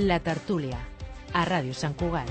La Tertúlia, a Ràdio Sant Cugat.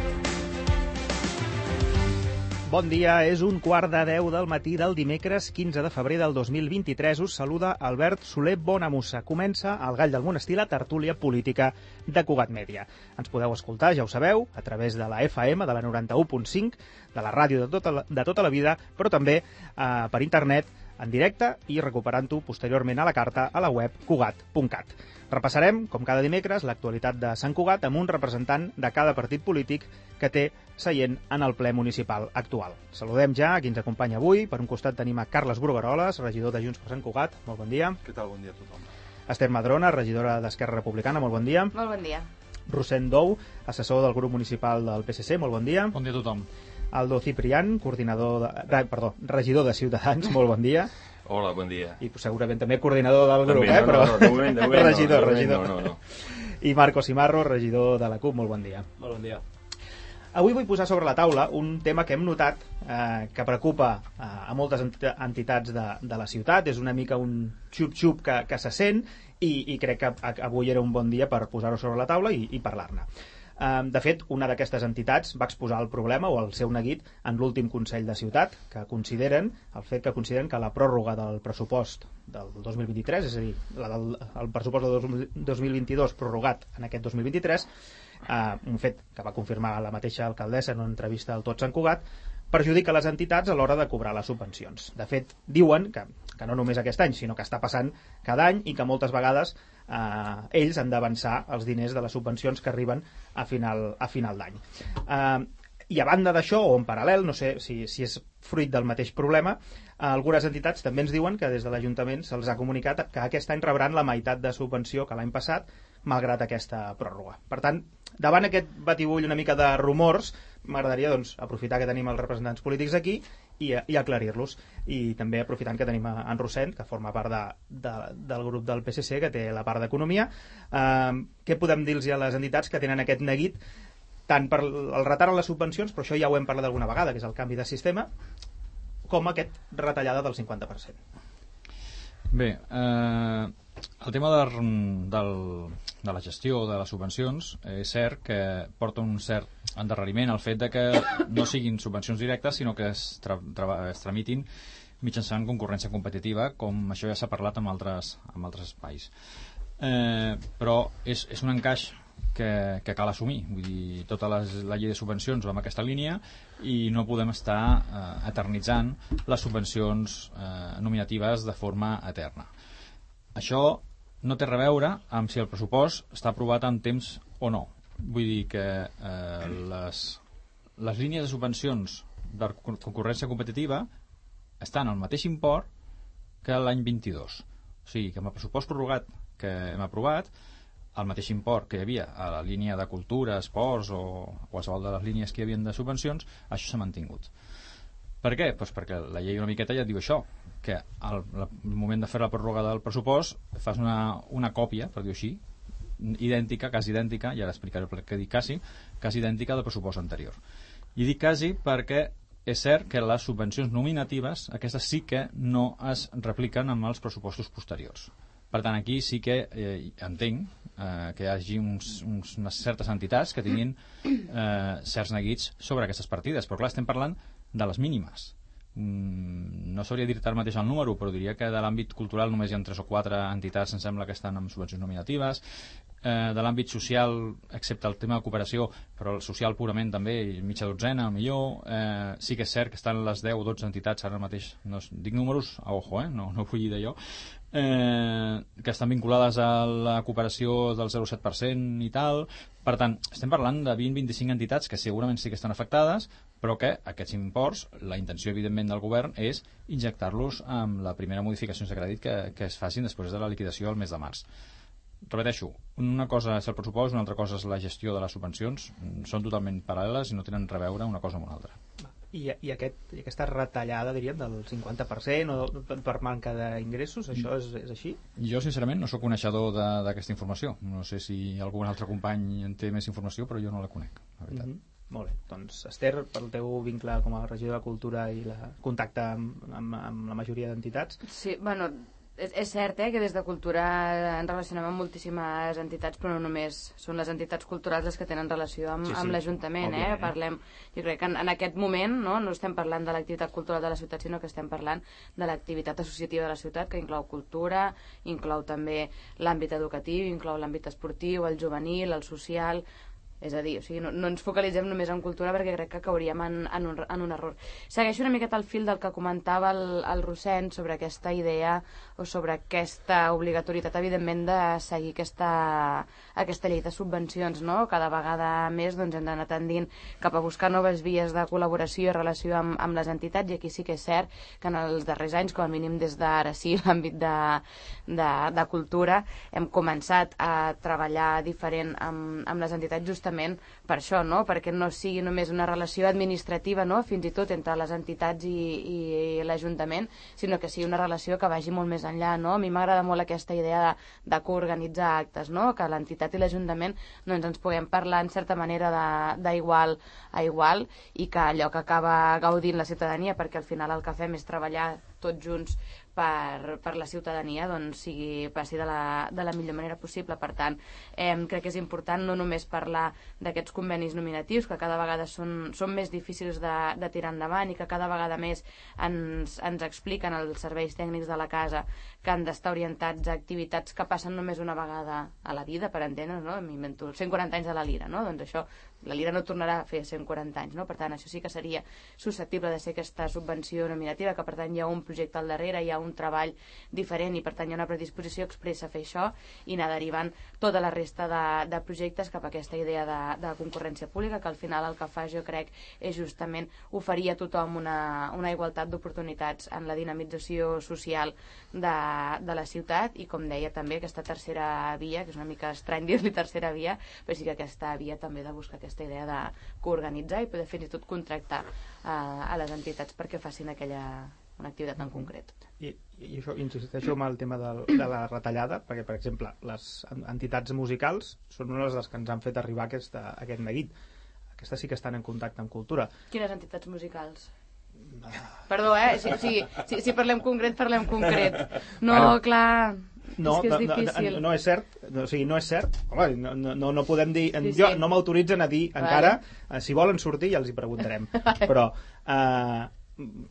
Bon dia, és 9:15 del matí del dimecres 15 de febrer del 2023. Us saluda Albert Soler Bonamussa. Comença el Gall del Monestir, la tertúlia política de Cugat Mèdia. Ens podeu escoltar, ja ho sabeu, a través de la FM, de la 91.5, de la ràdio de tota la vida, però també per internet, en directe i recuperant-ho posteriorment a la carta a la web cugat.cat. Repassarem, com cada dimecres, l'actualitat de Sant Cugat amb un representant de cada partit polític que té seient en el ple municipal actual. Saludem ja a qui ens acompanya avui. Per un costat tenim a Carles Brugueroles, regidor de Junts per Sant Cugat. Molt bon dia. Què tal? Bon dia a tothom. Esther Madrona, regidora d'Esquerra Republicana. Molt bon dia. Molt bon dia. Rossend Dou, assessor del grup municipal del PSC. Molt bon dia. Bon dia a tothom. Aldo Ciprián, regidor de Ciutadans. Molt bon dia. Hola, bon dia. I segurament també coordinador del grup, també, però... No, de moment regidor. No. I Marco Simarro, regidor de la CUP. Molt bon dia. Molt bon dia. Avui vull posar sobre la taula un tema que hem notat que preocupa a moltes entitats de la ciutat. És una mica un xup-xup que se sent i crec que avui era un bon dia per posar-ho sobre la taula i parlar-ne. De fet, una d'aquestes entitats va exposar el problema o el seu neguit en l'últim Consell de Ciutat, que consideren que la pròrroga del pressupost del 2023, és a dir, el pressupost del 2022 prorrogat en aquest 2023, un fet que va confirmar la mateixa alcaldessa en una entrevista al Tot Sant Cugat, perjudica les entitats a l'hora de cobrar les subvencions. De fet, diuen que no només aquest any, sinó que està passant cada any i que moltes vegades ells han d'avançar els diners de les subvencions que arriben a final d'any. I a banda d'això, o en paral·lel, no sé si és fruit del mateix problema, algunes entitats també ens diuen que des de l'Ajuntament se'ls ha comunicat que aquest any rebran la meitat de subvenció que l'any passat, malgrat aquesta pròrroga. Per tant, davant aquest batibull una mica de rumors, m'agradaria aprofitar que tenim els representants polítics aquí i aclarir-los. I també aprofitant que tenim en Rossend, que forma part del grup del PSC, que té la part d'Economia. Què podem dir-los a les entitats que tenen aquest neguit tant per el retard en les subvencions, però això ja ho hem parlat alguna vegada, que és el canvi de sistema, com aquest retallada del 50%? Bé, el tema de la gestió de les subvencions és cert que porta un cert endarreriment al fet de que no siguin subvencions directes, sinó que es tramitin mitjançant concurrència competitiva, com això ja s'ha parlat en altres espais. Però és un encaix que cal assumir. Vull dir, tota la llei de subvencions va en aquesta línia i no podem estar eternitzant les subvencions nominatives de forma eterna. Això no té res a veure amb si el pressupost està aprovat en temps o no. Vull dir que les línies de subvencions de concurrència competitiva estan al mateix import que l'any 22. O sigui, que amb el pressupost prorrogat que hem aprovat, el mateix import que hi havia a la línia de cultura, esports o qualsevol de les línies que hi havia de subvencions, això s'ha mantingut. Per què? Doncs perquè la llei una miqueta ja et diu això, que al moment de fer la pròrroga del pressupost fas una còpia, per dir-ho així, idèntica, quasi idèntica, i ara explicaré per què dic quasi idèntica del pressupost anterior. I dic quasi perquè és cert que les subvencions nominatives, aquestes sí que no es repliquen amb els pressupostos posteriors. Per tant, aquí sí que entenc que hi hagi unes certes entitats que tinguin certs neguits sobre aquestes partides, però clar, estem parlant de les mínimes. No sabria dir-te ara mateix el número, però diria que de l'àmbit cultural només hi ha 3 o 4 entitats, em sembla, que estan amb subvencions nominatives. De l'àmbit social, excepte el tema de cooperació, però el social purament també, mitja dotzena, millor. Sí que és cert que estan les 10 o 12 entitats ara mateix, no dic números a ojo, no vull dir d'allò, que estan vinculades a la cooperació del 0,7% i tal. Per tant, estem parlant de 20-25 entitats que segurament sí que estan afectades, però que aquests imports, la intenció evidentment del govern és injectar-los amb la primera modificació de crèdit que es facin després de la liquidació al mes de març. Repeteixo, una cosa és el pressupost, una altra cosa és la gestió de les subvencions, són totalment paral·leles i no tenen res a veure una cosa amb una altra. I aquesta retallada, diríem, del 50% o per manca d'ingressos, això és així? Jo, sincerament, no sóc coneixedor d'aquesta informació. No sé si algun altre company en té més informació, però jo no la conec, la veritat. Molt bé, doncs Esther, pel teu vincle com a regidor de Cultura i el contacte amb la majoria d'entitats. Sí, bueno, És cert que des de Cultura ens relacionem amb moltíssimes entitats, però no només són les entitats culturals les que tenen relació amb l'Ajuntament. Parlem, jo crec que en aquest moment no estem parlant de l'activitat cultural de la ciutat, sinó que estem parlant de l'activitat associativa de la ciutat, que inclou cultura, inclou també l'àmbit educatiu, inclou l'àmbit esportiu, el juvenil, el social. És a dir, no ens focalitzem només en cultura perquè crec que cauríem en un error. Segueixo una miqueta al fil del que comentava el Rossend sobre aquesta idea o sobre aquesta obligatorietat, evidentment, de seguir aquesta llei de subvencions, no? Cada vegada més hem d'anar tendint cap a buscar noves vies de col·laboració i relació amb les entitats, i aquí sí que és cert que en els darrers anys, com a mínim des d'ara sí, l'àmbit de cultura, hem començat a treballar diferent amb les entitats justament per això, no? Perquè no sigui només una relació administrativa, no? Fins i tot entre les entitats i l'Ajuntament, sinó que sigui una relació que vagi molt més enllà, no? A mi m'agrada molt aquesta idea de coorganitzar actes, no? Que l'entitat i l'Ajuntament ens puguem parlar en certa manera d'igual a igual, i que allò que acaba gaudint la ciutadania, perquè al final el que fem és treballar tots junts per la ciutadania, doncs passi de la millor manera possible. Per tant, crec que és important no només parlar d'aquests convenis nominatius, que cada vegada són més difícils de tirar endavant, i que cada vegada més ens expliquen els serveis tècnics de la casa que han d'estar orientats a activitats que passen només una vegada a la vida, per entendre's, no? M'invento 140 anys de la Lira, no? Doncs això, la Lira no tornarà a fer 140 anys, no? Per tant, això sí que seria susceptible de ser aquesta subvenció nominativa, que per tant hi ha un projecte al darrere, hi ha un treball diferent, i per tant hi ha una predisposició expressa a fer això i anar derivant tota la resta de projectes cap a aquesta idea de concurrència pública, que al final el que fa, jo crec, és justament oferir a tothom una igualtat d'oportunitats en la dinamització social de la ciutat, i com deia també aquesta tercera via, que és una mica estrany dir-li tercera via, però sí que aquesta via també de buscar aquesta idea de coorganitzar i poder fins i tot contractar a les entitats perquè facin una activitat en concret. I això, insisteixo amb el tema de la retallada, perquè, per exemple, les entitats musicals són unes de les que ens han fet arribar aquest neguit. Aquestes sí que estan en contacte amb cultura. Quines entitats musicals? Perdó, si parlem concret, parlem concret. No, bueno, clar, és que és difícil. No és cert, o sigui, no és cert. Home, no podem dir... Jo no m'autoritzen a dir encara, si volen sortir ja els hi preguntarem. Però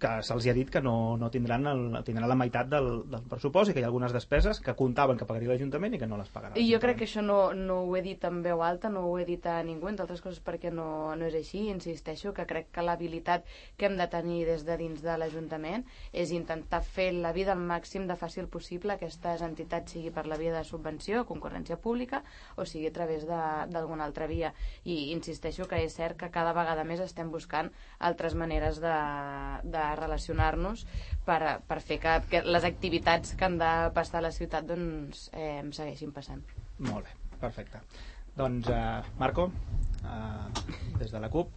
que se'ls ha dit que no tindran la meitat del pressupost, i que hi ha algunes despeses que comptaven que pagaria l'Ajuntament i que no les pagaran. I jo crec que això no ho he dit en veu alta, no ho he dit a ningú, entre altres coses perquè no és així. Insisteixo que crec que l'habilitat que hem de tenir des de dins de l'Ajuntament és intentar fer la vida al màxim de fàcil possible a aquestes entitats, sigui per la via de subvenció, concurrència pública, o sigui a través d'alguna altra via. I insisteixo que és cert que cada vegada més estem buscant altres maneres de relacionar-nos per fer que les activitats que han de passar a la ciutat doncs segueixin passant. Molt bé, perfecte. Doncs Marco, des de la CUP.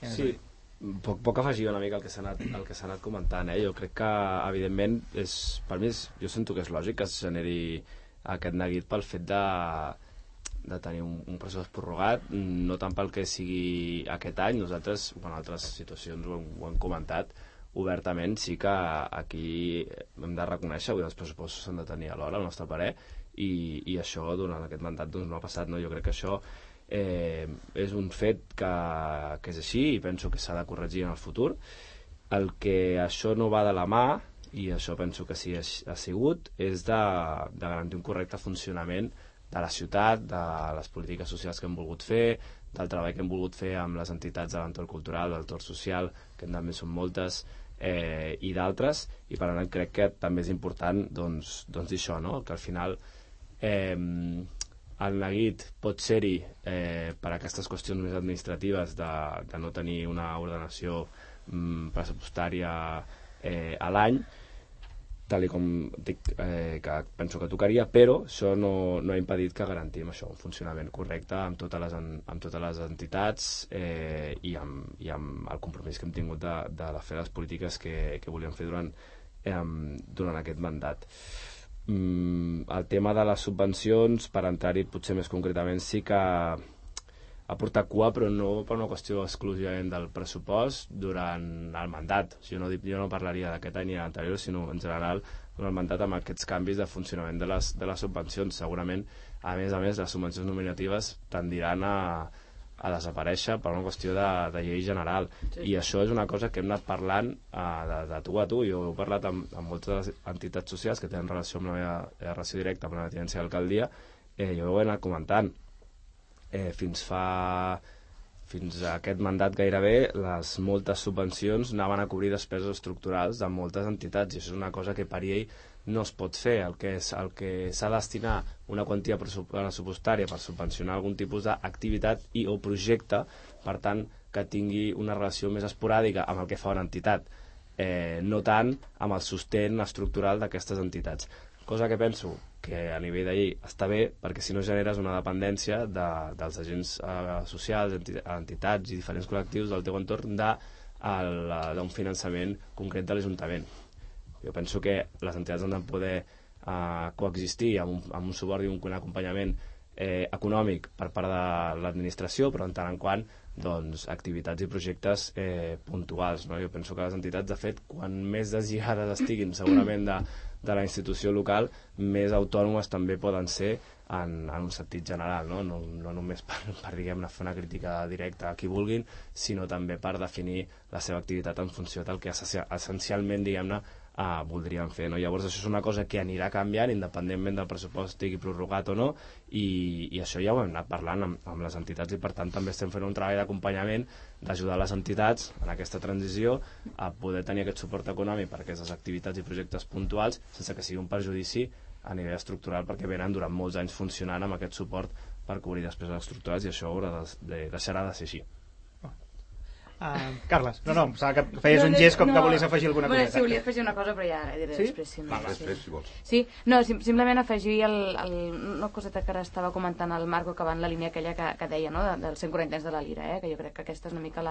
Sí, poc afegir una mica el que s'ha anat comentant. Jo crec que evidentment per mi jo sento que és lògic que es generi aquest neguit pel fet de tenir un pressupost prorrogat, no tant pel que sigui aquest any. Nosaltres, en altres situacions ho hem comentat obertament, sí que aquí hem de reconèixer que els pressupostos s'han de tenir a l'hora, al nostre parer, i això durant aquest mandat doncs, no ha passat. Jo crec que això és un fet que és així, i penso que s'ha de corregir en el futur. El que això no va de la mà, i això penso que sí ha sigut, és de garantir un correcte funcionament de la ciutat, de les polítiques socials que hem volgut fer, del treball que hem volgut fer amb les entitats de l'entorn cultural, de l'entorn social, que també són moltes, i d'altres, i per tant crec que també és important doncs dir això, no? Que al final el neguit pot ser-hi per aquestes qüestions més administratives de no tenir una ordenació pressupostària a l'any, tal com dic, que penso que tocaria, però això no ha impedit que garantim això, un funcionament correcte amb totes les entitats i amb el compromís que hem tingut de fer les polítiques que volíem fer durant aquest mandat. El tema de les subvencions, per entrar-hi potser més concretament, sí que ha portat cua, però no per una qüestió exclusivament del pressupost durant el mandat. Jo no parlaria d'aquest any ni l'anterior, sinó en general durant el mandat amb aquests canvis de funcionament de les subvencions. Segurament, a més, les subvencions nominatives tendiran a desaparèixer per una qüestió de llei general. Sí. I això és una cosa que hem anat parlant de tu a tu. Jo he parlat amb moltes de les entitats socials que tenen relació amb la meva relació directa amb la tinència d'alcaldia. Jo ho he anat comentant. Fins a aquest mandat gairebé, les moltes subvencions anaven a cobrir despeses estructurals de moltes entitats, i això és una cosa que per llei no es pot fer. El que s'ha de destinar una quantia pressupostària per subvencionar algun tipus d'activitat o projecte, per tant, que tingui una relació més esporàdica amb el que fa una entitat, no tant amb el sostén estructural d'aquestes entitats. Cosa que penso que a nivell de llei està bé, perquè si no generes una dependència dels agents socials, entitats i diferents col·lectius del teu entorn d'un finançament concret de l'Ajuntament. Jo penso que les entitats han de poder coexistir amb un suport i un acompanyament econòmic per part de l'administració, però en tant en quant activitats i projectes puntuals. Jo penso que les entitats, de fet, quan més deslligades estiguin segurament de la institució local, més autònomes també poden ser en un sentit general, no només per diguem-ne, fer una crítica directa a qui vulguin, sinó també per definir la seva activitat en funció del que essencialment, diguem-ne, voldrien fer. Llavors això és una cosa que anirà canviant independentment del pressupost estigui prorrogat o no, i això ja ho hem anat parlant amb les entitats, i per tant també estem fent un treball d'acompanyament, d'ajudar les entitats en aquesta transició a poder tenir aquest suport econòmic per aquestes activitats i projectes puntuals sense que sigui un perjudici a nivell estructural, perquè venen durant molts anys funcionant amb aquest suport per cobrir despeses estructurals, i això deixarà de ser així. Carles, no, que feies un gest com que volies afegir alguna cosa. Sí, volia afegir una cosa, però ja diré després. Després, si vols. Sí, simplement afegir una coseta que ara estava comentant el Marco, que va en la línia aquella que deia, no?, dels 140 anys de la Lira, que jo crec que aquesta és una mica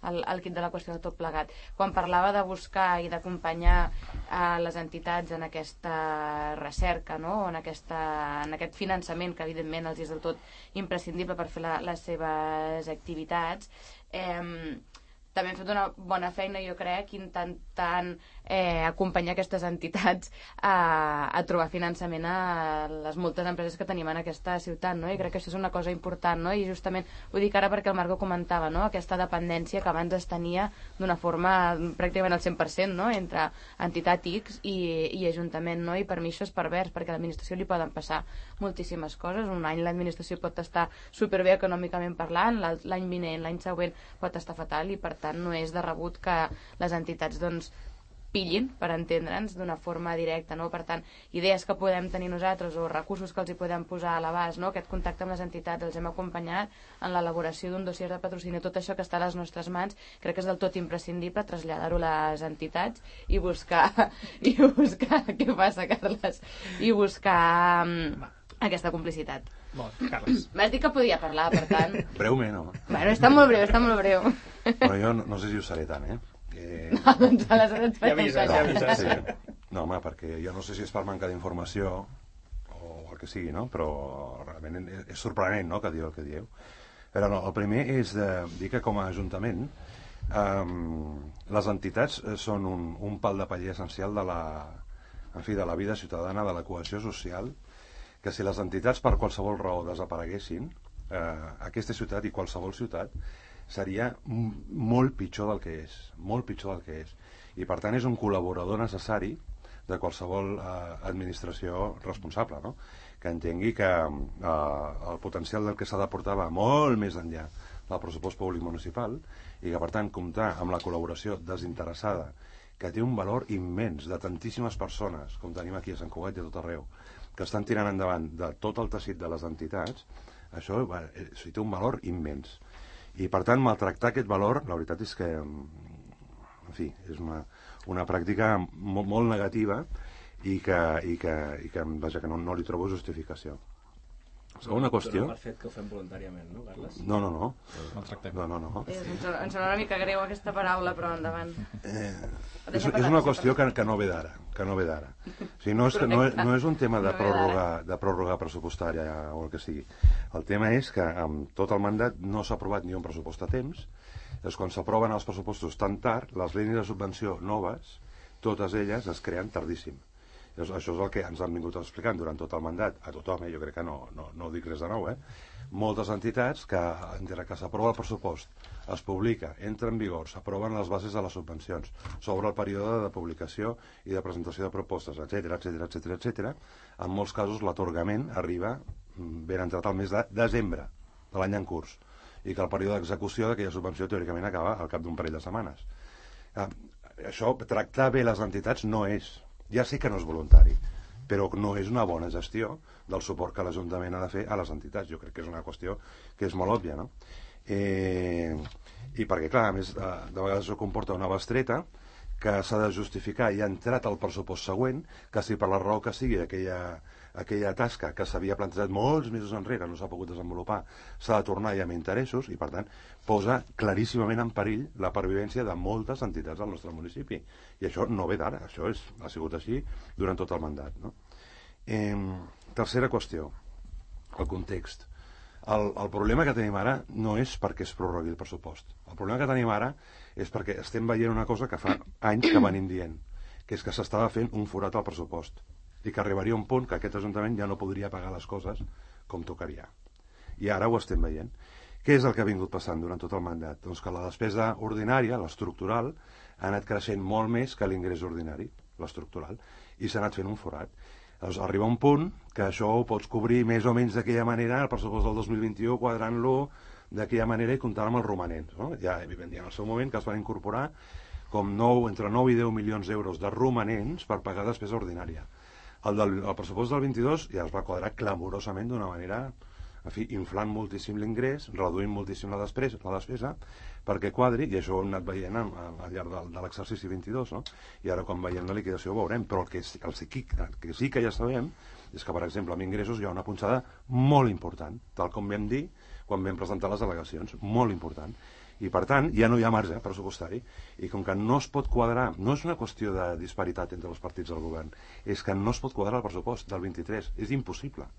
el kit de la qüestió de tot plegat. Quan parlava de buscar i d'acompanyar les entitats en aquesta recerca, no?, en aquest finançament que evidentment els és del tot imprescindible per fer les seves activitats, també hem fet una bona feina, jo crec, intentant acompanyar aquestes entitats a trobar finançament a les moltes empreses que tenim en aquesta ciutat, no? I crec que això és una cosa important, no? I justament ho dic ara perquè el Marco comentava, no?, aquesta dependència que abans es tenia d'una forma pràcticament al 100%, no?, entre entitat X i Ajuntament, no? I per mi això és pervers, perquè a l'administració li poden passar moltíssimes coses. Un any l'administració pot estar superbé econòmicament parlant, l'any vinent, l'any següent pot estar fatal, i per tant no és de rebut que les entitats pillin, per entendre'ns, d'una forma directa, no? Per tant, idees que podem tenir nosaltres o recursos que els hi podem posar a l'abast, no?, aquest contacte amb les entitats, els hem acompanyat en l'elaboració d'un dossier de patrocini, tot això que està a les nostres mans, crec que és del tot imprescindible traslladar-ho a les entitats i buscar què passa, Carles? I buscar aquesta complicitat. Molt, Carles. M'has dit que podia parlar, per tant... Breument, home. Bueno, està molt breu. Però jo no sé si ho seré tant, Doncs aleshores ja avises. Sí. No, home, perquè jo no sé si és per manca d'informació o el que sigui, no? Però realment és sorprenent, no?, que diu el que dieu. Però no, el primer és de dir que com a Ajuntament les entitats són un pal de paller essencial de la vida ciutadana, de la cohesió social, que si les entitats per qualsevol raó desapareguessin, aquesta ciutat i qualsevol ciutat seria molt pitjor del que és, i per tant és un col·laborador necessari de qualsevol administració responsable, no?, que entengui que el potencial del que s'ha d'aportar va molt més enllà del pressupost públic municipal, i que per tant comptar amb la col·laboració desinteressada, que té un valor immens, de tantíssimes persones com tenim aquí a Sant Cugat i a tot arreu, que estan tirant endavant de tot el teixit de les entitats, això té un valor immens. I per tant maltractar aquest valor, la veritat és que en fi, és una pràctica molt negativa i que no li trobo justificació. Segona qüestió... Per fet que ho fem voluntàriament, no, Carles? No. Maltractem. No. Ens sona una mica greu aquesta paraula, però endavant. És una qüestió que no ve d'ara. O sigui, no és un tema de pròrroga pressupostària o el que sigui. El tema és que amb tot el mandat no s'ha aprovat ni un pressupost a temps. Llavors, quan s'aproven els pressupostos tan tard, les línies de subvenció noves, totes elles es creen tardíssim. Això és el que ens han vingut explicant durant tot el mandat, a tothom, jo crec que no dic res de nou, moltes entitats que, entre que s'aprova el pressupost, es publica, entra en vigor, s'aproven les bases de les subvencions, s'obre el període de publicació i de presentació de propostes, etc. En molts casos l'atorgament arriba ben entrat al mes de desembre de l'any en curs i que el període d'execució d'aquella subvenció teòricament acaba al cap d'un parell de setmanes. Això, tractar bé les entitats no és, ja sé que no és voluntari, però no és una bona gestió del suport que l'Ajuntament ha de fer a les entitats. Jo crec que és una qüestió que és molt òbvia, no? I perquè, clar, a més, de vegades això comporta una bestreta que s'ha de justificar i ha entrat al pressupost següent, que si per la raó que sigui aquella tasca que s'havia plantejat molts mesos enrere no s'ha pogut desenvolupar, s'ha de tornar ja amb interessos i, per tant, posa claríssimament en perill la pervivència de moltes entitats del nostre municipi. I això no ve d'ara, això ha sigut així durant tot el mandat, no? Tercera qüestió, el context. El problema que tenim ara no és perquè es prorrogui el pressupost. El problema que tenim ara és perquè estem veient una cosa que fa anys que venim dient, que és que s'estava fent un forat al pressupost i que arribaria un punt que aquest Ajuntament ja no podria pagar les coses com tocaria. I ara ho estem veient. Què és el que ha vingut passant durant tot el mandat? Doncs que la despesa ordinària, l'estructural, ha anat creixent molt més que l'ingrés ordinari, l'estructural, i s'ha anat fent un forat. Doncs arriba un punt que això ho pots cobrir més o menys d'aquella manera, el pressupost del 2021, quadrant-lo d'aquella manera i comptant amb els romanents. No? Ja en el seu moment que es van incorporar com entre 9 i 10 milions d'euros de romanents per pagar despesa ordinària. El pressupost del 22 ja es va quadrar clamorosament d'una manera, en fi, inflant moltíssim l'ingrés, reduint moltíssim la despesa perquè quadri, i això ho hem anat veient al llarg de l'exercici 22, no? I ara quan veiem la liquidació ho veurem, però el que sí que ja sabem és que, per exemple, amb ingressos hi ha una punxada molt important, tal com vam dir quan vam presentar les al·legacions, molt important. I, per tant, ja no hi ha marge pressupostari. I com que no es pot quadrar, no és una qüestió de disparitat entre els partits del govern, és que no es pot quadrar el pressupost del 23. És impossible.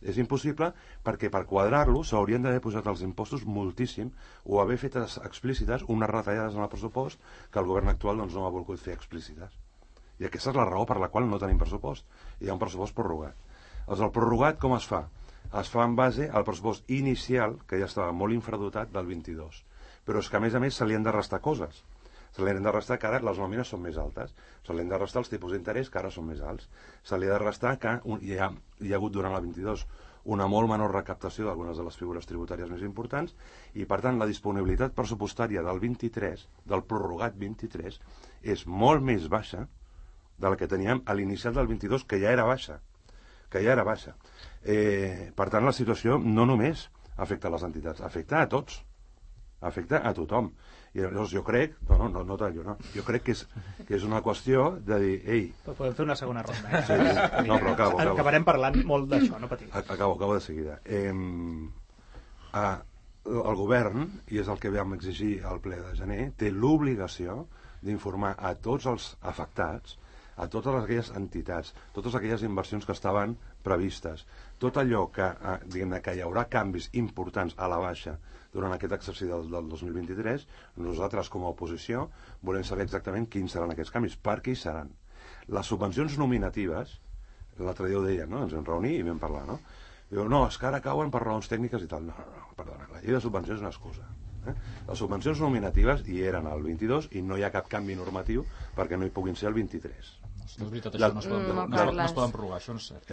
És impossible perquè per quadrar-lo s'haurien d'haver posat els impostos moltíssim o haver fet explícites unes retallades en el pressupost que el govern actual doncs, no ha volgut fer explícites. I aquesta és la raó per la qual no tenim pressupost. Hi ha un pressupost prorrogat. El prorrogat com es fa? Es fa en base al pressupost inicial, que ja estava molt infradotat, del 22. Però és que, a més, se li han de restar coses. Se li han de restar que ara les nòmines són més altes. Se li han de restar els tipus d'interès, que ara són més alts. Se li ha de restar que hi ha hagut durant la 22 una molt menor recaptació d'algunes de les figures tributàries més importants i, per tant, la disponibilitat pressupostària del 23, del prorrogat 23, és molt més baixa de la que teníem a l'inicial del 22, que ja era baixa. Per tant, la situació no només afecta a les entitats, afecta a tots. Afecta a tothom. I llavors jo crec, jo crec que és una qüestió de dir, ei... Però podem fer una segona ronda. Sí. No, però acabo. Acabarem parlant molt d'això, no patiu. Acabo de seguida. El govern, i és el que vam exigir al ple de gener, té l'obligació d'informar a tots els afectats, a totes aquelles entitats, totes aquelles inversions que estaven previstes, tot allò que, diguem-ne, que hi haurà canvis importants a la baixa durant aquest exercici del 2023, nosaltres com a oposició volem saber exactament quins seran aquests canvis, per què hi seran. Les subvencions nominatives, l'altre dia ho deien, no? Ens vam reunir i vam parlar, no? Diu, no, és que ara cauen per raons tècniques i tal. No, perdona, la llei de subvencions és una excusa. Les subvencions nominatives hi eren al 22 i no hi ha cap canvi normatiu perquè no hi puguin ser el 23. No és veritat, això no es poden prorrogar, això no és cert.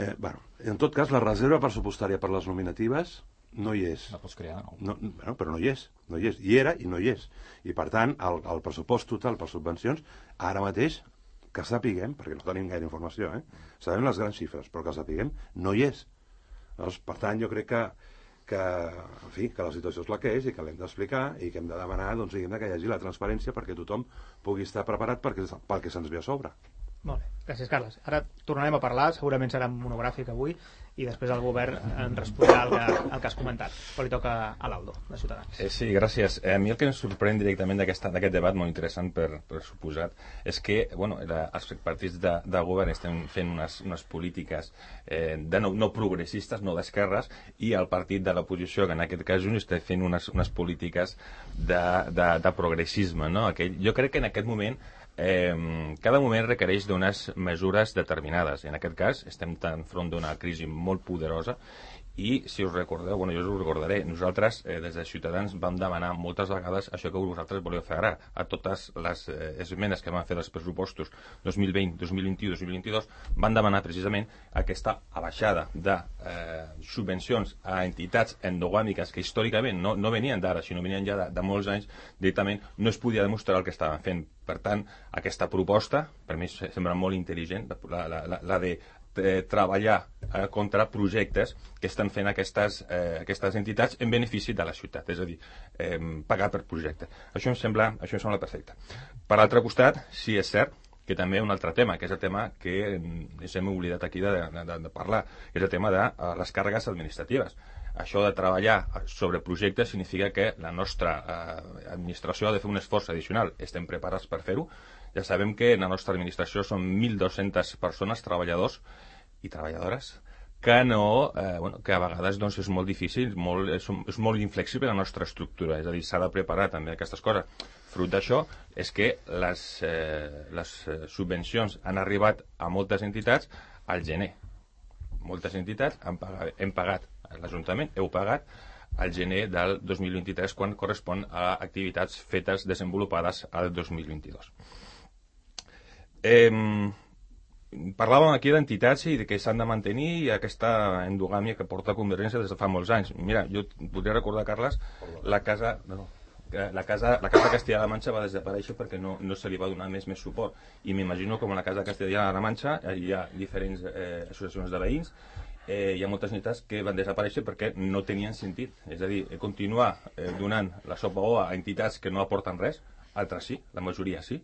En tot cas, la reserva pressupostària per les nominatives no hi és. La pots crear de nou. Però no hi és. Hi era i no hi és. I, per tant, el pressupost total per subvencions, ara mateix, que sapiguem, perquè no tenim gaire informació, sabem les grans xifres, però que sapiguem, no hi és. Doncs, per tant, jo crec que la situació és la que és i que l'hem d'explicar i que hem de demanar doncs, que hi hagi la transparència perquè tothom pugui estar preparat pel que se'ns ve a sobre. Molt bé, gràcies, Carles. Ara tornarem a parlar, segurament serà monogràfic avui, i després el govern en respondrà el que has comentat. Però li toca a l'Aldo, de Ciutadans. Sí, gràcies. A mi el que em sorprèn directament d'aquest debat, molt interessant per suposat, és que els partits de govern estan fent unes polítiques no progressistes, no d'esquerres, i el partit de l'oposició, que en aquest cas Junts, està fent unes polítiques de progressisme. No? Jo crec que en aquest moment cada moment requereix d'unes mesures determinades. En aquest cas, estem enfront d'una crisi molt poderosa i, si us recordeu, jo us ho recordaré, nosaltres, des de Ciutadans, vam demanar moltes vegades això que vosaltres voleu fer ara, a totes les esmenes que vam fer dels pressupostos 2020, 2021, 2022, van demanar precisament aquesta abaixada de subvencions a entitats endogàmiques que històricament no venien d'ara, sinó venien ja de molts anys, directament no es podia demostrar el que estaven fent. Per tant, aquesta proposta, per mi sembla molt intel·ligent, la de treballar contra projectes que estan fent aquestes entitats en benefici de la ciutat, és a dir, pagar per projecte. Això em sembla perfecte. Per l'altre costat, sí és cert que també un altre tema, que és el tema que ens hem oblidat aquí de parlar, que és el tema de les càrregues administratives. Això de treballar sobre projectes significa que la nostra administració ha de fer un esforç addicional. Estem preparats per fer-ho. Ja sabem que en la nostra administració són 1.200 persones, treballadors i treballadores, que que a vegades és molt difícil, és molt inflexible la nostra estructura, és a dir, s'ha de preparar també aquestes coses. Fruit d'això és que les subvencions han arribat a moltes entitats al gener. Moltes entitats hem pagat, l'Ajuntament heu pagat al gener del 2023, quan correspon a activitats fetes, desenvolupades al 2022. Parlàvem aquí d'entitats i de que s'han de mantenir i aquesta endogàmia que porta Convergència des de fa molts anys. Mira, jo podria recordar, Carles, la casa Castilla-La Manxa va desaparèixer perquè no se li va donar més suport, i m'imagino com a la casa Castilla-La Manxa hi ha diferents associacions de veïns, hi ha moltes entitats que van desaparèixer perquè no tenien sentit, és a dir, continuar donant la sopa a entitats que no aporten res, altres sí, la majoria sí,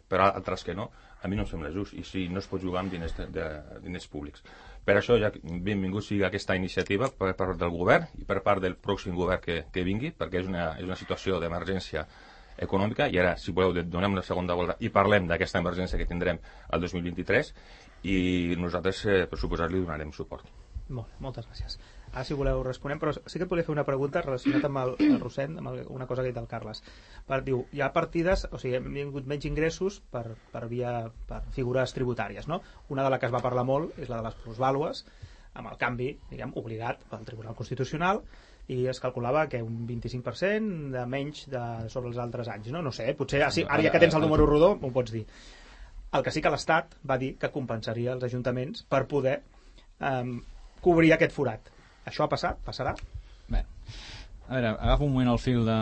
però altres que no, a mi no em sembla just, i sí, no es pot jugar amb diners públics. Per això, ja benvingut sigui aquesta iniciativa per part del govern i per part del pròxim govern que vingui, perquè és una situació d'emergència econòmica, i ara, si voleu, donem una segona volta i parlem d'aquesta emergència que tindrem el 2023, i nosaltres, per suposar, li donarem suport. Molt bé, moltes gràcies. Ara, si voleu, responem, però sí que et volia fer una pregunta relacionada amb el Rossend, amb una cosa que ha dit el Carles. Diu, hi ha partides, o sigui, hem tingut menys ingressos per figures tributàries, no? Una de la que es va parlar molt és la de les plusvàlues, amb el canvi, diguem, obligat pel Tribunal Constitucional, i es calculava que un 25% de menys sobre els altres anys, no? No sé, potser ara ja que tens el número rodó m'ho pots dir. El que sí que l'Estat va dir que compensaria els ajuntaments per poder cobrir aquest forat. Això ha passat? Passarà? Bé, a veure, agafo un moment el fil de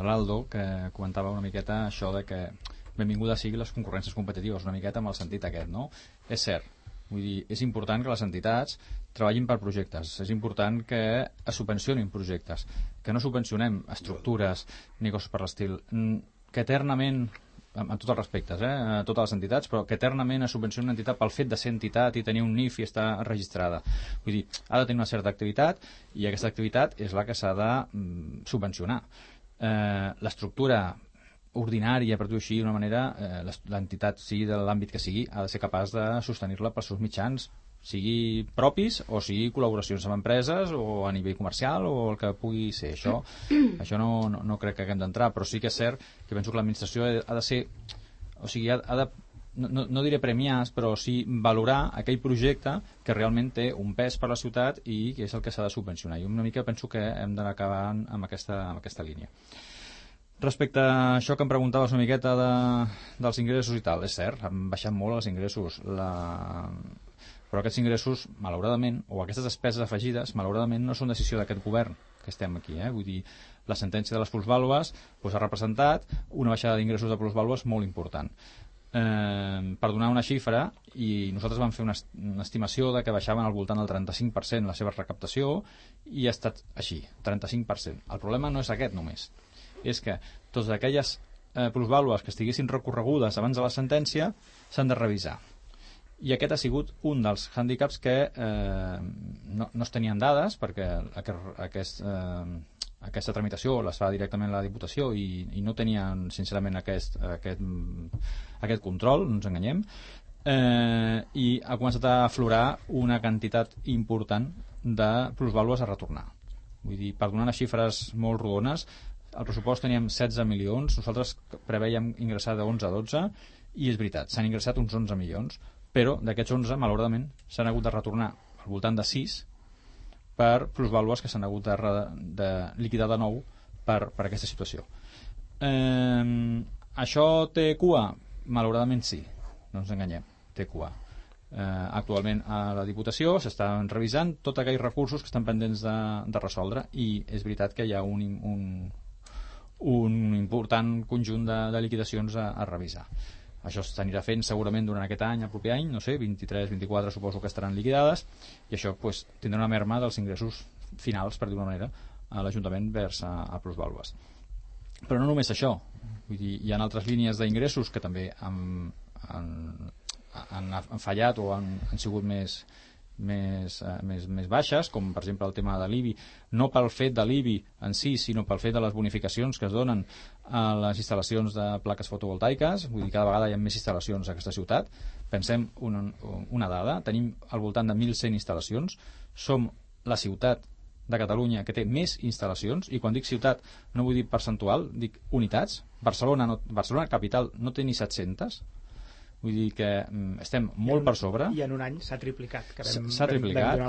l'Aldo, que comentava una miqueta això de que benvinguda sigui les concurrències competitives, una miqueta amb el sentit aquest, no? És cert, vull dir, és important que les entitats treballin per projectes, és important que es subvencionin projectes, que no subvencionem estructures ni coses per l'estil, que eternament, amb tots els respectes, a totes les entitats, però que eternament es subvenciona una entitat pel fet de ser entitat i tenir un NIF i estar registrada. Vull dir, ha de tenir una certa activitat, i aquesta activitat és la que s'ha de subvencionar. L'estructura ordinària, per dir-ho així d'una manera, l'entitat, sigui de l'àmbit que sigui, ha de ser capaç de sostenir-la pels seus mitjans, sigui propis o sigui col·laboracions amb empreses o a nivell comercial o el que pugui ser. Això no crec que haguem d'entrar, però sí que és cert que penso que l'administració ha de ser, o sigui, ha de, no diré premiar, però sí valorar aquell projecte que realment té un pes per la ciutat i que és el que s'ha de subvencionar. I una mica penso que hem d'anar acabant amb aquesta línia. Respecte a això que em preguntaves una miqueta dels ingressos i tal, és cert, han baixat molt els ingressos, però aquests ingressos, malauradament, o aquestes despeses afegides, malauradament no són decisió d'aquest govern que estem aquí. Vull dir, la sentència de les plusvàlues ha representat una baixada d'ingressos de plusvàlues molt important. Per donar una xifra, i nosaltres vam fer una estimació de que baixaven al voltant del 35% la seva recaptació, i ha estat així, 35%. El problema no és aquest només, és que totes aquelles plusvàlues que estiguessin recorregudes abans de la sentència s'han de revisar. I aquest ha sigut un dels hàndicaps que no es tenien dades, perquè aquesta tramitació la fa directament la Diputació i no tenien sincerament aquest control, no ens enganyem, i ha començat a aflorar una quantitat important de plusvàlues a retornar. Vull dir, per donar unes xifres molt rodones, el pressupost teníem 16 milions, nosaltres preveiem ingressar de 11 a 12, i és veritat, s'han ingressat uns 11 milions, però d'aquests 11, malauradament, s'han hagut de retornar al voltant de 6 per plusvàlues que s'han hagut de liquidar de nou per aquesta situació. Això té cua? Malauradament sí, no ens enganyem, té cua. Actualment a la Diputació s'estan revisant tots aquells recursos que estan pendents de resoldre, i és veritat que hi ha un important conjunt de liquidacions a revisar. Això s'anirà fent segurament durant aquest any, el proper any, no sé, 23, 24 suposo que estaran liquidades, i això pues, tindrà una merma dels ingressos finals, per dir-ho d'una manera, a l'Ajuntament vers a plusvàlues. Però no només això, vull dir, hi ha altres línies d'ingressos que també han fallat o han sigut més baixes, com per exemple el tema de l'IBI, no pel fet de l'IBI en si, sinó pel fet de les bonificacions que es donen a les instal·lacions de plaques fotovoltaiques. Vull dir, cada vegada hi ha més instal·lacions a aquesta ciutat. Pensem una dada, tenim al voltant de 1.100 instal·lacions, som la ciutat de Catalunya que té més instal·lacions, i quan dic ciutat no vull dir percentual, dic unitats. Barcelona capital no té ni 700. Vull dir que estem molt per sobre. I en un any s'ha triplicat. S'ha triplicat.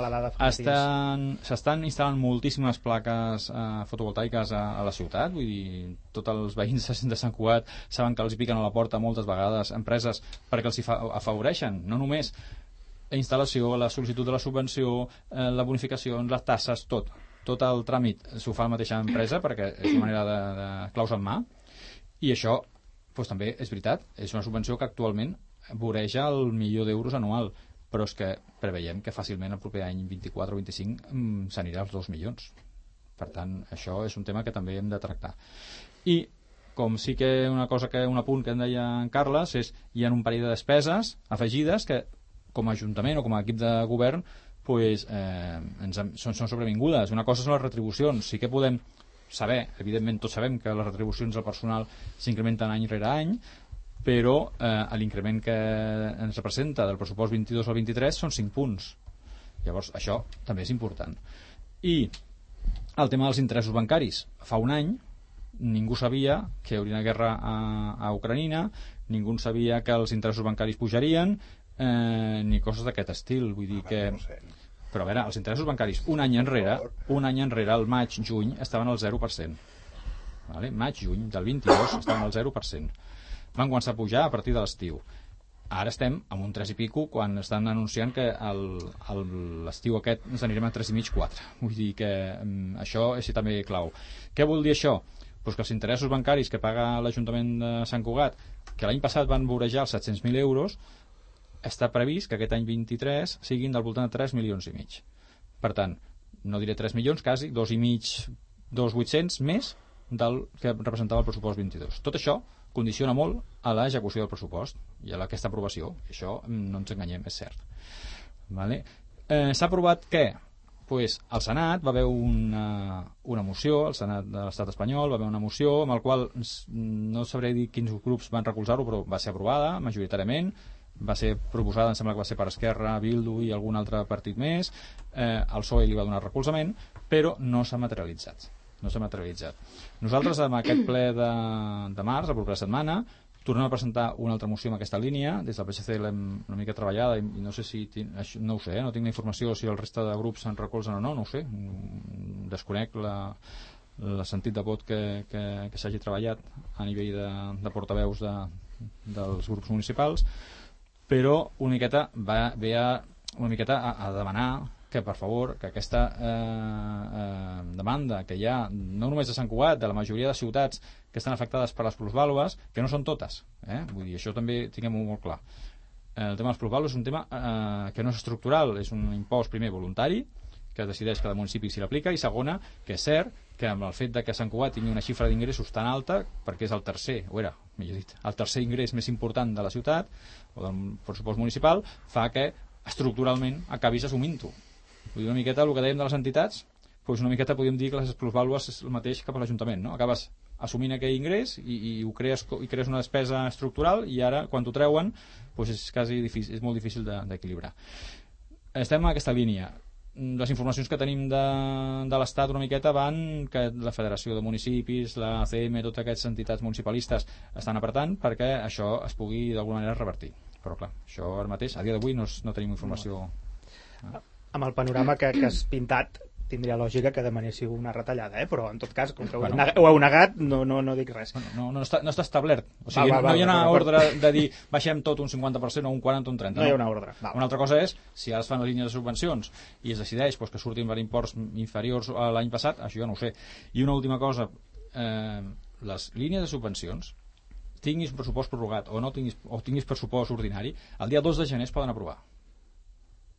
S'estan instal·lant moltíssimes plaques fotovoltaiques a la ciutat. Vull dir, tots els veïns de Sant Cugat saben que els hi piquen a la porta moltes vegades empreses perquè els hi afavoreixen. No només la instal·lació, la sol·licitud de la subvenció, la bonificació, les tasses, tot el tràmit s'ho fa la mateixa empresa perquè és una manera de claus en mà. I això pues també és veritat, és una subvenció que actualment voreja el 1.000.000 d'euros anual, però és que preveiem que fàcilment el proper any 24 o 25 s'anirà als 2 milions. Per tant, això és un tema que també hem de tractar. I com sí que un apunt que em deia en Carles és hi ha un parell de despeses afegides que com a Ajuntament o com a equip de govern pues, són sobrevingudes. Una cosa són les retribucions, sí que podem saber, evidentment tots sabem que les retribucions del personal s'incrementen any rere any, però l'increment que ens representa del pressupost 22 al 23 són 5 punts. Llavors això també és important. I el tema dels interessos bancaris. Fa un any ningú sabia que hi hauria una guerra a Ucraïna, ningú sabia que els interessos bancaris pujarien, ni coses d'aquest estil. Vull dir que... Però a veure, els interessos bancaris un any enrere, al maig-juny, estaven al 0%. Vale? Maig-juny del 22 estaven al 0%. Van començar a pujar a partir de l'estiu. Ara estem amb un 3 i pico quan estan anunciant que l'estiu aquest ens anirem a 3,5-4. Vull dir que això és també clau. Què vol dir això? Pues que els interessos bancaris que paga l'Ajuntament de Sant Cugat, que l'any passat van vorejar els 700.000 euros, està previst que aquest any 23 siguin del voltant de 3,5 milions. Per tant, no diré 3 milions, quasi 2,5, 2,800 més del que representava el pressupost 22. Tot això condiciona molt a l'execució del pressupost i a aquesta aprovació. Això no ens enganyem, és cert. Vale? S'ha aprovat què? Pues, al Senat va haver una moció, al Senat de l'Estat espanyol va haver una moció amb el qual no sabré dir quins grups van recolzar-ho, però va ser aprovada majoritàriament. Va ser proposada, em sembla que va ser per Esquerra, Bildu i algun altre partit més. El PSOE li va donar recolzament, però no s'ha materialitzat. Nosaltres, amb aquest ple de març, la propera setmana, tornem a presentar una altra moció en aquesta línia. Des del PSC l'hem una mica treballada i no sé si... no ho sé, no tinc la informació si el resta de grups se'n recolzen o no ho sé. Desconec el sentit de vot que s'hagi treballat a nivell de portaveus dels grups municipals, però una miqueta ve a demanar que per favor que aquesta demanda que hi ha no només a Sant Cugat, de la majoria de ciutats que estan afectades per les plusvàlues, que no són totes, vull dir, això també tinguem-ho molt clar. El tema de les plusvàlues és un tema que no és estructural, és un impost primer voluntari que decideix cada municipi si l'aplica, i segona, que és cert que amb el fet de que Sant Cugat tingui una xifra d'ingressos tan alta, perquè és el tercer, millor dit, el tercer ingrés més important de la ciutat o del pressupost municipal, fa que estructuralment acabis assumint-ho. Vull dir, una miqueta el que dèiem de les entitats, doncs una miqueta podríem dir que les plusvàlues és el mateix cap a l'Ajuntament, no? Acabes assumint aquell ingrés i crees una despesa estructural, i ara quan t'ho treuen doncs és molt difícil d'equilibrar. Estem en aquesta línia. les informacions que tenim de l'Estat una miqueta van que la Federació de Municipis, la ACM, totes aquestes entitats municipalistes estan apretant perquè això es pugui d'alguna manera revertir. Però clar, això ara mateix, a dia d'avui no tenim informació. Amb el panorama que has pintat tindria lògica que demanéssiu una retallada, però en tot cas, com que ho heu negat, no dic res. No està establert. O sigui, no hi ha una ordre de dir baixem tot un 50% o un 40% o un 30%. No hi ha una ordre. Una altra cosa és, si ara es fan les línies de subvencions i es decideix que surtin per imports inferiors a l'any passat, això jo no ho sé. I una última cosa, les línies de subvencions, tinguis pressupost prorrogat o tinguis pressupost ordinari, el dia 2 de gener es poden aprovar.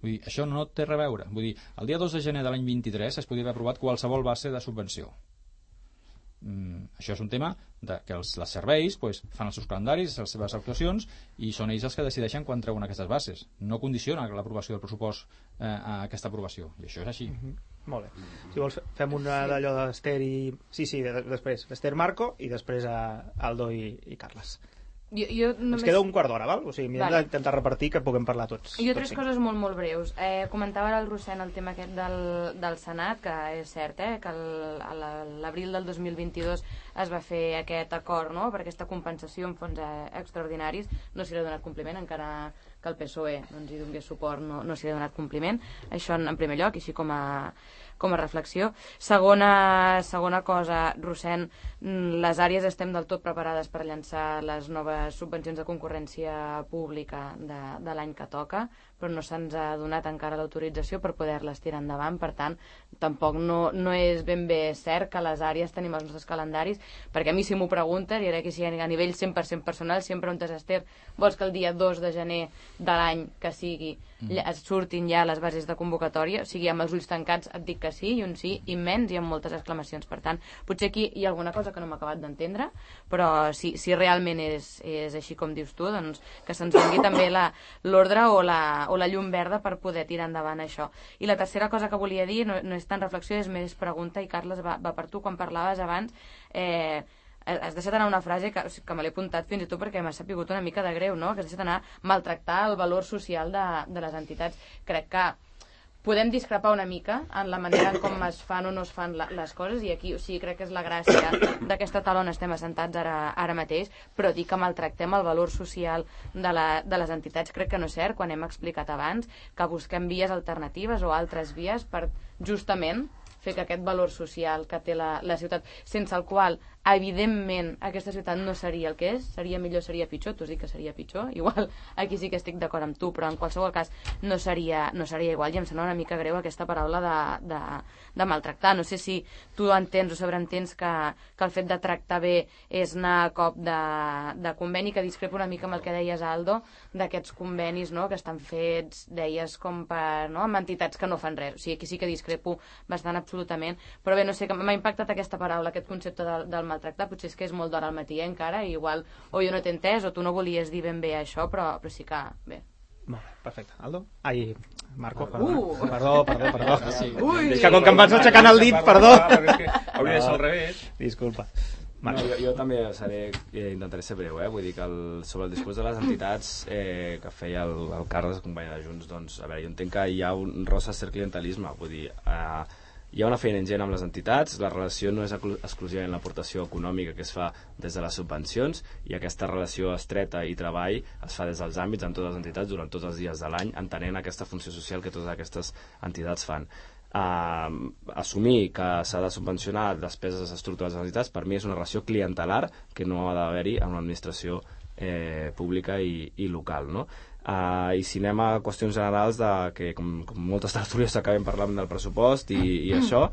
Vull dir, això no té res a veure. Vull dir, el dia 2 de gener de l'any 23 es podria haver aprovat qualsevol base de subvenció. Això és un tema que els serveis fan els seus calendaris, les seves actuacions, i són ells els que decideixen quan treuen aquestes bases. No condiciona l'aprovació del pressupost a aquesta aprovació. I això és així. Molt bé. Si vols, fem una d'allò d'Ester i... Sí, després. Esther, Marco, i després Aldo i Carles. Ens queda un quart d'hora, val? O sigui, m'hem d'intentar repartir que puguem parlar tots. Jo tres coses molt, molt breus. Comentava el Rossent el tema aquest del Senat, que és cert, que l'abril del 2022 es va fer aquest acord, no?, per aquesta compensació en fons extraordinaris. No s'hi ha donat compliment, encara que el PSOE hi donés suport, no s'hi ha donat compliment. Això en primer lloc, així com a reflexió. Segona cosa, Rossent, les àrees estem del tot preparades per llançar les noves subvencions de concurrència pública de l'any que toca, però no se'ns ha donat encara l'autorització per poder-les tirar endavant. Per tant, tampoc no és ben bé cert que les àrees tenim els nostres calendaris, perquè a mi si m'ho preguntes, i ara que sigui a nivell 100% personal, sempre on Esther, vols que el dia 2 de gener de l'any que sigui surtin ja les bases de convocatòria, o sigui, amb els ulls tancats et dic que sí, i un sí immens i amb moltes exclamacions. Per tant, potser aquí hi ha alguna cosa que no m'he acabat d'entendre, però si realment és així com dius tu, doncs que se'ns doni també l'ordre o la llum verda per poder tirar endavant això. I la tercera cosa que volia dir, no és tan reflexió, és més pregunta, i Carles, va per tu. Quan parlaves abans, has deixat anar una frase que me l'he apuntat fins i tot perquè m'ha sapigut una mica de greu, no?, que has deixat anar maltractar el valor social de les entitats. Crec que podem discrepar una mica en la manera en com es fan o no es fan les coses, i aquí, o sigui, crec que és la gràcia d'aquesta taula on estem assentats ara mateix, però dir que maltractem el valor social de les entitats crec que no és cert, quan hem explicat abans que busquem vies alternatives o altres vies per justament fer que aquest valor social que té la ciutat, sense el qual evidentment aquesta ciutat no seria el que és, seria millor, seria pitjor, tu has dit que seria pitjor, igual aquí sí que estic d'acord amb tu, però en qualsevol cas no seria igual, i em sembla una mica greu aquesta paraula de maltractar. No sé si tu entens o sobreentens que el fet de tractar bé és anar a cop de conveni, que discrepo una mica amb el que deies, Aldo, d'aquests convenis, no?, que estan fets, deies, com per, no?, amb entitats que no fan res. O sigui, aquí sí que discrepo bastant absolutament, però bé, no sé, m'ha impactat aquesta paraula, aquest concepte del maltractar. Potser és que és molt d'hora al matí, encara, i igual o jo no t'he entès o tu no volies dir ben bé això, però sí que bé. Molt bé, perfecte. Aldo? Ai, Marco, perdó. Sí. És que com que em vas aixecant el dit, perdó. Hauria de ser al revés. Disculpa. No, jo també intentaré ser breu, vull dir que sobre el discurs de les entitats que feia el Carles, company de Junts, doncs, a veure, jo entenc que hi ha un rosa cert clientelisme, vull dir, hi ha una feina ingent amb les entitats, la relació no és exclusivament l'aportació econòmica que es fa des de les subvencions, i aquesta relació estreta i treball es fa des dels àmbits amb totes les entitats durant tots els dies de l'any, entenent aquesta funció social que totes aquestes entitats fan. Assumir que s'ha de subvencionar despeses estructurals de les entitats, per mi és una relació clientelar que no ha d'haver-hi en l'administració pública i local, no? I si anem a qüestions generals que com moltes tertúlies s'acaben parlant del pressupost i això,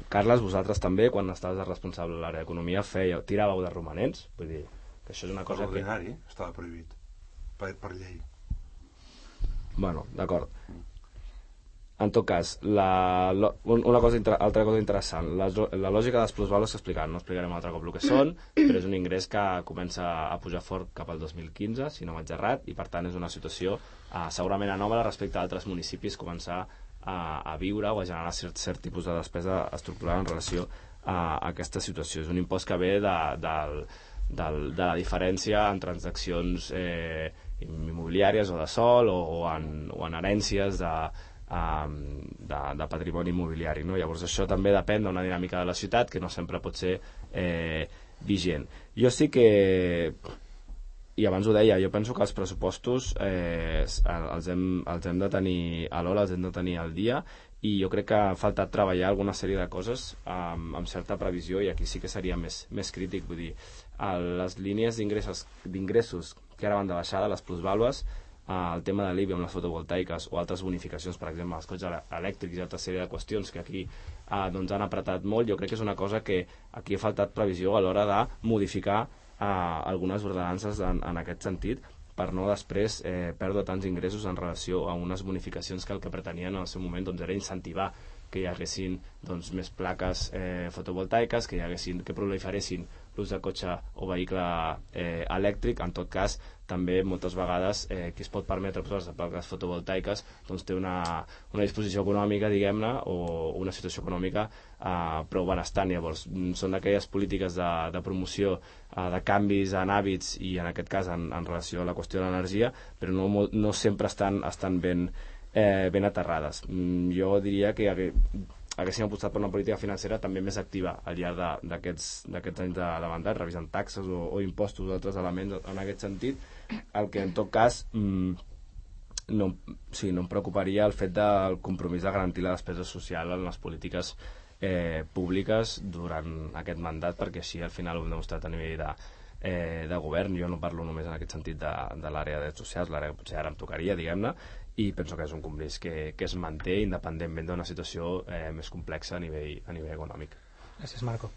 Carles, vosaltres també, quan estaves responsable de l'àrea d'economia, tiràveu de romanents, vull dir que això és una cosa que... L'ordinari estava prohibit per llei. Bueno, d'acord. En tot cas, altra cosa interessant, la lògica dels plusvalos s'ha explicat, no explicarem altre cop el que són, però és un ingrés que comença a pujar fort cap al 2015, si no vaig errat, i per tant és una situació segurament anòmala respecte a altres municipis començar a viure o a generar cert tipus de despesa estructural en relació a aquesta situació. És un impost que ve de la diferència en transaccions immobiliàries o de sòl o en herències de patrimoni immobiliari, no? Llavors això també depèn d'una dinàmica de la ciutat que no sempre pot ser vigent. Jo sí que, i abans ho deia, jo penso que els pressupostos els hem de tenir a l'hora, els hem de tenir al dia, i jo crec que ha faltat treballar alguna sèrie de coses amb certa previsió, i aquí sí que seria més crític. Vull dir, les línies d'ingressos que ara van de baixada, les plusvàlues, el tema de l'IBI amb les fotovoltaiques o altres bonificacions, per exemple, els cotxes elèctrics i altra sèrie de qüestions que aquí han apretat molt, jo crec que és una cosa que aquí ha faltat previsió a l'hora de modificar algunes ordenances en aquest sentit, per no després perdre tants ingressos en relació a unes bonificacions que el que pretenien en el seu moment era incentivar que hi haguessin més plaques fotovoltaiques, que proliferessin l'ús de cotxe o vehicle elèctric. En tot cas, també moltes vegades qui es pot permetre posar-se plaques fotovoltaiques té una disposició econòmica, diguem-ne, o una situació econòmica prou benestant. Llavors, són aquelles polítiques de promoció de canvis en hàbits i en aquest cas en relació a la qüestió de l'energia, però no sempre estan ben aterrades. Jo diria que haguéssim apostat per una política financera també més activa al llarg d'aquests anys de mandat, revisant taxes o impostos o altres elements en aquest sentit, el que en tot cas no em preocuparia el fet del compromís de garantir la despesa social en les polítiques públiques durant aquest mandat, perquè així al final ho hem demostrat a nivell de govern. Jo no parlo només en aquest sentit de l'àrea de drets socials, l'àrea que potser ara em tocaria, diguem-ne, i penso que és un compromís que es manté independentment d'una situació més complexa a nivell econòmic. Gràcies, Marco.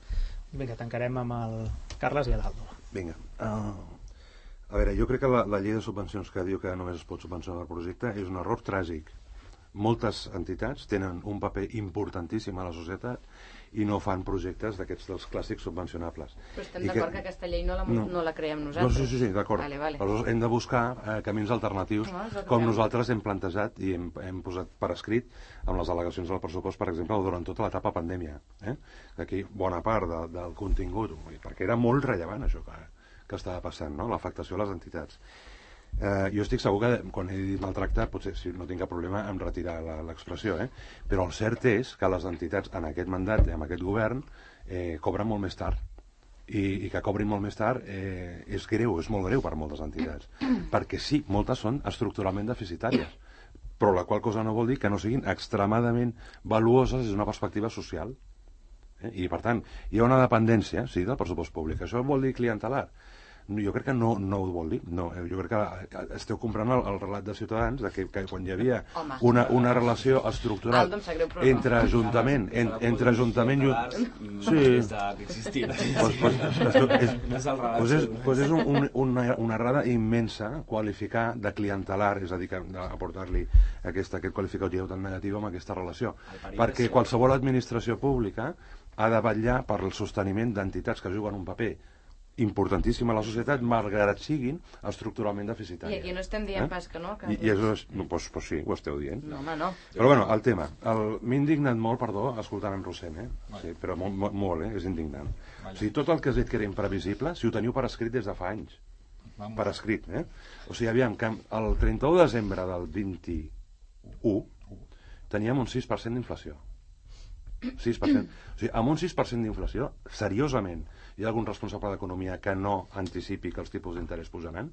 Vinga, tancarem amb el Carles i l'Aldo. Vinga. A veure, jo crec que la llei de subvencions que diu que només es pot subvencionar el projecte és un error tràgic. Moltes entitats tenen un paper importantíssim a la societat i no fan projectes d'aquests dels clàssics subvencionables. Però estem d'acord que aquesta llei no la creem nosaltres. Sí, d'acord. Vale. Aleshores hem de buscar camins alternatius, com nosaltres hem plantejat i hem posat per escrit amb les al·legacions del pressupost, per exemple, durant tota l'etapa pandèmia. Aquí bona part del contingut, perquè era molt rellevant això que estava passant, no? L'afectació a les entitats. Jo estic segur que quan he dit maltractar potser si no tinc cap problema en retirar l'expressió, però el cert és que les entitats en aquest mandat i en aquest govern cobren molt més tard, i que cobrin molt més tard és greu, és molt greu per moltes entitats, perquè sí, moltes són estructuralment deficitàries, però la qual cosa no vol dir que no siguin extremadament valuoses des d'una perspectiva social, i per tant hi ha una dependència del pressupost públic. Això vol dir clientelar? Jo crec que no ho vol dir. No, jo crec que esteu comprant el relat de Ciutadans de que quan hi havia una relació estructural entre Ajuntament i... Sí. Pues és una errada immensa qualificar de clientelar, és a dir, aportar-li aquest qualificatiu tan negatiu amb aquesta relació. Perquè qualsevol administració pública ha de vetllar per el sosteniment d'entitats que juguen un paper importantíssim a la societat, malgrat siguin estructuralment deficitàries. I aquí no estem dient pas que no? Doncs sí, ho esteu dient. No, home, no. Però bueno, el tema. M'he indignat molt, perdó, escoltant en Rossent, sí, però molt, és indignant. O sigui, tot el que has dit que era imprevisible, si ho teniu per escrit des de fa anys. Per escrit, O sigui, aviam, que el 31 de desembre del 21 teníem un 6% d'inflació. 6%. O sigui, amb un 6% d'inflació, seriosament, hi ha algun responsable d'economia que no anticipi que els tipus d'interès pujaran,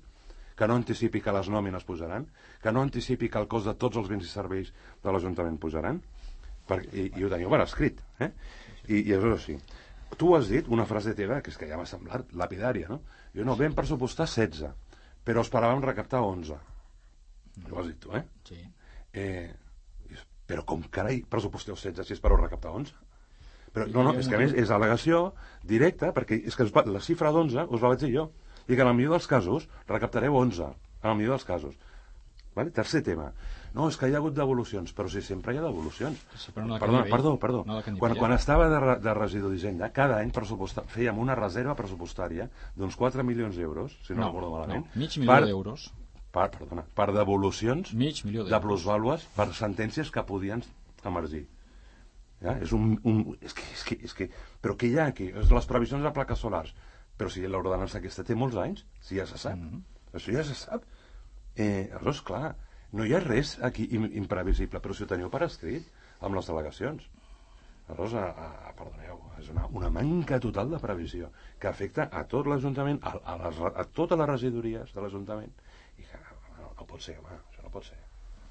que no anticipi que les nòmines pujaran, que no anticipi que el cost de tots els béns i serveis de l'Ajuntament pujaran, i ho teniu per escrit. I és així. Tu has dit una frase teva que és que ja m'ha semblat lapidària, no? Jo no, vam pressupostar 16, però esperàvem recaptar 11. Ho has dit tu, Sí. Però com carai pressuposteu 16 si espereu recaptar 11? Però no, és que a més és al·legació directa, perquè és que la xifra d'11 us la vaig dir jo, i que en el millor dels casos recaptareu 11, en el millor dels casos. Vale? Tercer tema. No, és que hi ha hagut devolucions, però si sempre hi ha devolucions. Perdó. Quan estava de residu d'Hisenda, cada any fèiem una reserva pressupostària d'uns 4 milions d'euros, si no recordo malament. No, mig milió d'euros. Per devolucions de plusvàlues per sentències que podien emergir. És que però què hi ha aquí? Les previsions de plaques solars, però si l'ordenança aquesta té molts anys, si ja se sap, això ja se sap. Aleshores, clar, No hi ha res aquí imprevisible, però si ho teniu per escrit amb les delegacions. Aleshores, perdoneu, és una manca total de previsió que afecta a tot l'Ajuntament, a totes les regidories de l'Ajuntament, i que no pot ser, home, això no pot ser.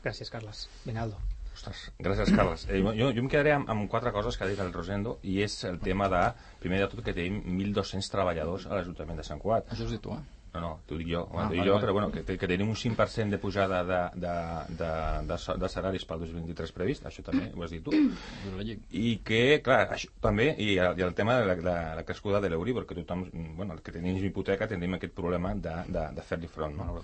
Gràcies, Carles. Vinaldo. Ostres, gràcies, Carles. Jo em quedaré amb 4 coses que ha dit el Rosendo, i és el tema de, primer de tot, que tenim 1.200 treballadors a l'Ajuntament de Sant Cugat. Això has dit tu, No, t'ho dic jo, però bueno, que tenim un 5% de pujada de salaris pel 2023 previst, això també ho has dit tu. I que, clar, això també, i el tema de la crescuda de l'Euribor, que tothom, bueno, el que tenim hipoteca tenim aquest problema de fer-li front, no?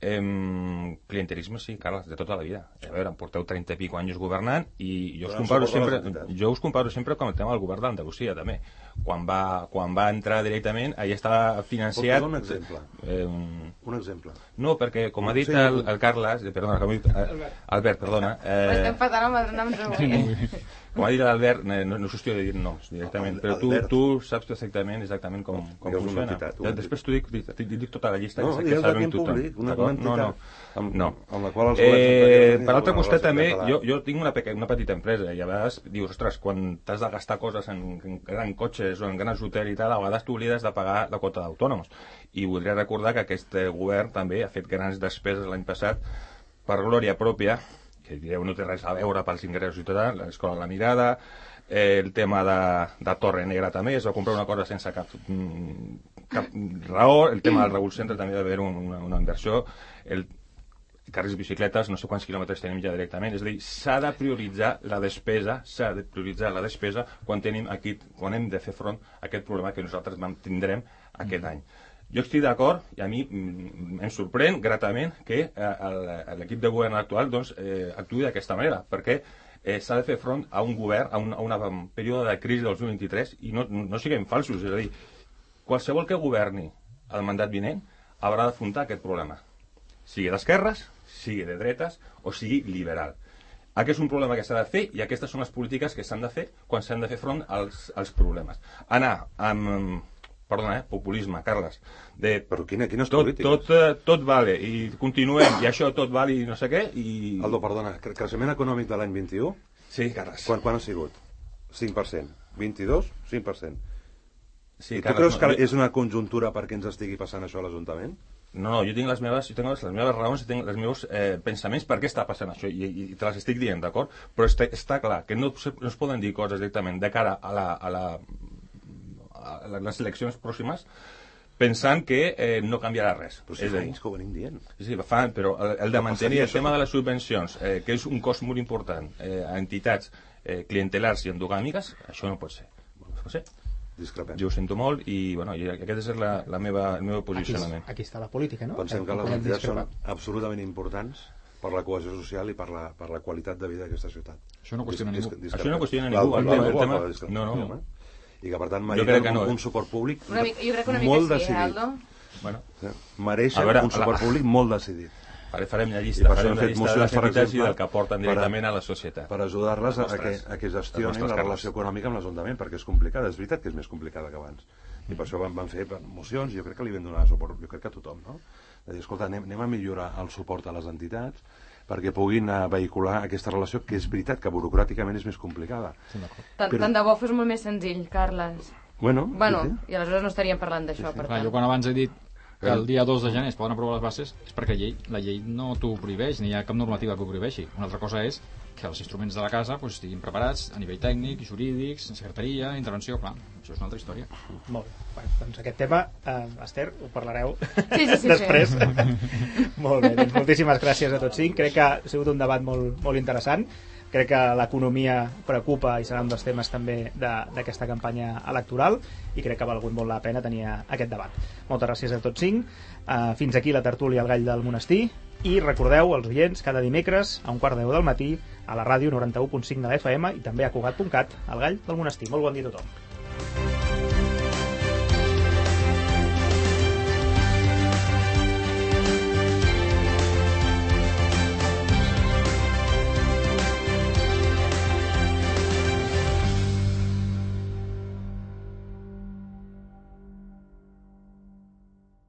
Clientelisme, sí, Carles, de tota la vida. A veure, em porteu 30 i pico anys governant i jo us comparo sempre com el tema del govern d'Andalusia, també. Quan va entrar directament, allà estava financiat... Pot posar un exemple? Un exemple. No, perquè, com ha dit el Carles... Perdona, com ha dit Albert, perdona... Estem patant amb els noms avui. Com ha dit l'Albert, no és qüestió de dir noms directament, però tu saps exactament com funciona. Després t'ho dic tota la llista, que sabem tothom. No. Per l'altre costat també, jo tinc una petita empresa i a vegades dius, ostres, quan t'has de gastar coses en grans cotxes o en grans hotels i tal, a vegades t'oblides de pagar la quota d'autònoms. I voldria recordar que aquest govern també ha fet grans despeses l'any passat per glòria pròpia, que direu no té res a veure pels ingressos i tot, l'escola La Mirada, el tema de Torre Negra també, es va comprar una cosa sense cap raó, el tema del Raül Centre també va haver una inversió, el carrils bicicletes, no sé quants quilòmetres tenim ja directament, és a dir, s'ha de prioritzar la despesa quan hem de fer front a aquest problema que nosaltres tindrem aquest any. Jo estic d'acord, i a mi em sorprèn gratament que l'equip de govern actual actuï d'aquesta manera, perquè s'ha de fer front a un govern, a un període de crisi del 2023, i no siguem falsos, és a dir, qualsevol que governi el mandat vinent haurà d'afrontar aquest problema, sigui d'esquerres, sigui de dretes o sigui liberal. Aquest és un problema que s'ha de fer i aquestes són les polítiques que s'han de fer quan s'han de fer front als problemes. Anar amb... Perdona, populisme, Carles. Però quines polítiques? Tot vale, i continuem, i això tot vale i no sé què, i... Aldo, perdona, creixement econòmic de l'any 21? Sí, Carles. Quan ha sigut? 5%. 22? 5%. Sí, I tu creus que és una conjuntura perquè ens estigui passant això a l'Ajuntament? No, jo tinc les meves raons, tinc els meus pensaments per què està passant això, i te les estic dient, d'acord? Però està clar que no es poden dir coses directament de cara a les eleccions pròximes pensant que no canviarà res. Però si fa anys que ho venim dient. Sí, però el de mantenir el tema de les subvencions, que és un cost molt important a entitats clientelars i endogàmiques, això no pot ser. No sé. Discrepem. Jo ho sento molt i aquest és el meu posicionament. Aquí està la política, no? Pensem que les entitats són absolutament importants per la cohesió social i per la qualitat de vida d'aquesta ciutat. Això no qüestiona ningú. Això no qüestiona ningú. No. I que per tant mereixen un suport públic molt decidit. Mereixen un suport públic molt decidit. Farem la llista de les entitats i del que aporten directament a la societat. Per ajudar-les a que gestionin la relació econòmica amb l'Ajuntament, perquè és complicada, és veritat que és més complicada que abans. I per això van fer mocions, i jo crec que li vam donar suport, jo crec que a tothom, no? De dir, escolta, anem a millorar el suport a les entitats perquè puguin vehicular aquesta relació, que és veritat que burocràticament és més complicada. Tant de bo fos molt més senzill, Carles. Bueno, i aleshores no estaríem parlant d'això, per tant. Jo quan abans he dit que el dia 2 de gener es poden aprovar les bases és perquè la llei no t'ho prohibeix, ni hi ha cap normativa que ho prohibeixi. Una altra cosa és que els instruments de la casa estiguin preparats a nivell tècnic, jurídics, secretaria, intervenció, clar, això és una altra història. Molt bé, doncs aquest tema, Esther, ho parlareu sí. després. Molt bé, doncs moltíssimes gràcies a tots cinc, crec que ha sigut un debat molt interessant. Crec que l'economia preocupa i serà un dels temes també d'aquesta campanya electoral i crec que ha valgut molt la pena tenir aquest debat. Moltes gràcies a tots cinc. Fins aquí la tertúlia al Gall del Monestir i recordeu als oients cada dimecres a 9:15 del matí a la ràdio 91.5 de la FM i també a Cugat.cat al Gall del Monestir. Molt bon dia a tothom.